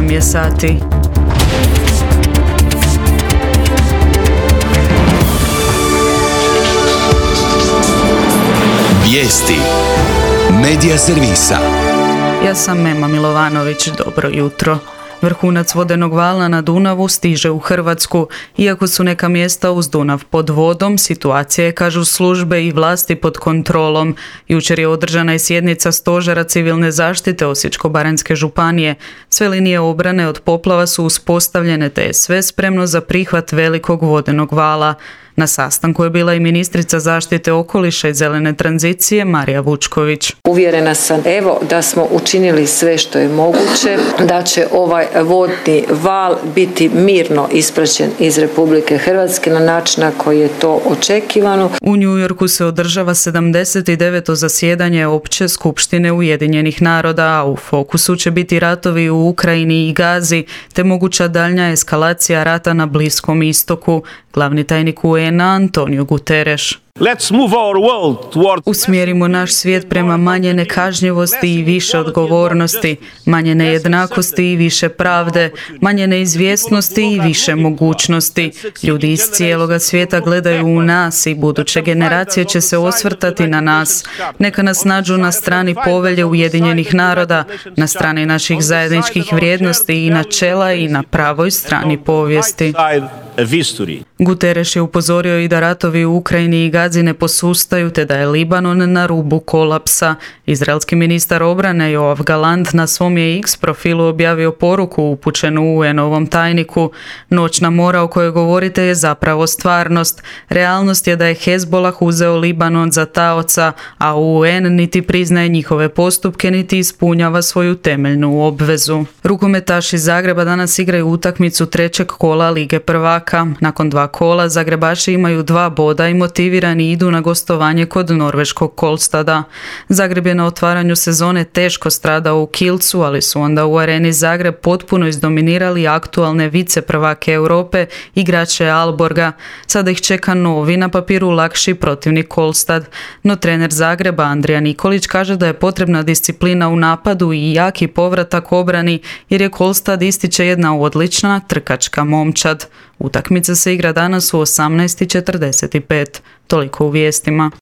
8 je sati. Vijesti Medija servisa. Ja sam Ema Milovanović, dobro jutro. Vrhunac vodenog vala na Dunavu stiže u Hrvatsku. Iako su neka mjesta uz Dunav pod vodom, situacija je, kažu službe i vlasti, pod kontrolom. Jučer je održana i sjednica Stožera civilne zaštite Osječko-baranjske županije. Sve linije obrane od poplava su uspostavljene, te je sve spremno za prihvat velikog vodenog vala. Na sastanku je bila i ministrica zaštite okoliša i zelene tranzicije Marija Vučković. Uvjerena sam da smo učinili sve što je moguće, da će ovaj vodni val biti mirno ispraćen iz Republike Hrvatske na način na koji je to očekivano. U New Yorku se održava 79. zasjedanje Opće skupštine Ujedinjenih naroda, a u fokusu će biti ratovi u Ukrajini i Gazi, te moguća daljnja eskalacija rata na Bliskom istoku. Glavni tajnik UN-a Antonio Guterres. Usmjerimo naš svijet prema manje nekažnjivosti i više odgovornosti, manje nejednakosti i više pravde, manje neizvjesnosti i više mogućnosti. Ljudi iz cijeloga svijeta gledaju u nas i buduće generacije će se osvrtati na nas. Neka nas nađu na strani povelje Ujedinjenih naroda, na strani naših zajedničkih vrijednosti i načela i na pravoj strani povijesti. Guterres je upozorio i da ratovi u Ukrajini i Gazi ne posustaju, te da je Libanon na rubu kolapsa. Izraelski ministar obrane Joav Galant na svom je X profilu objavio poruku upućenu UN-ovom tajniku. Noćna mora o kojoj govorite je zapravo stvarnost. Realnost je da je Hezbollah uzeo Libanon za taoca, a UN niti priznaje njihove postupke, niti ispunjava svoju temeljnu obvezu. Rukometaši Zagreba danas igraju utakmicu trećeg kola Lige prvaka. Nakon 2 kola Zagrebaši imaju 2 boda i motivirani idu na gostovanje kod norveškog Kolstada. Zagreb je na otvaranju sezone teško stradao u Kielcu, ali su onda u Areni Zagreb potpuno izdominirali aktualne viceprvake Europe, igrače Aalborga. Sada ih čeka novi, na papiru lakši protivnik Kolstad. No trener Zagreba Andrija Nikolić kaže da je potrebna disciplina u napadu i jaki povratak obrani, jer je Kolstad, ističe, jedna odlična trkačka momčad. Utakmica se igra danas u 18:45. Toliko u vijestima.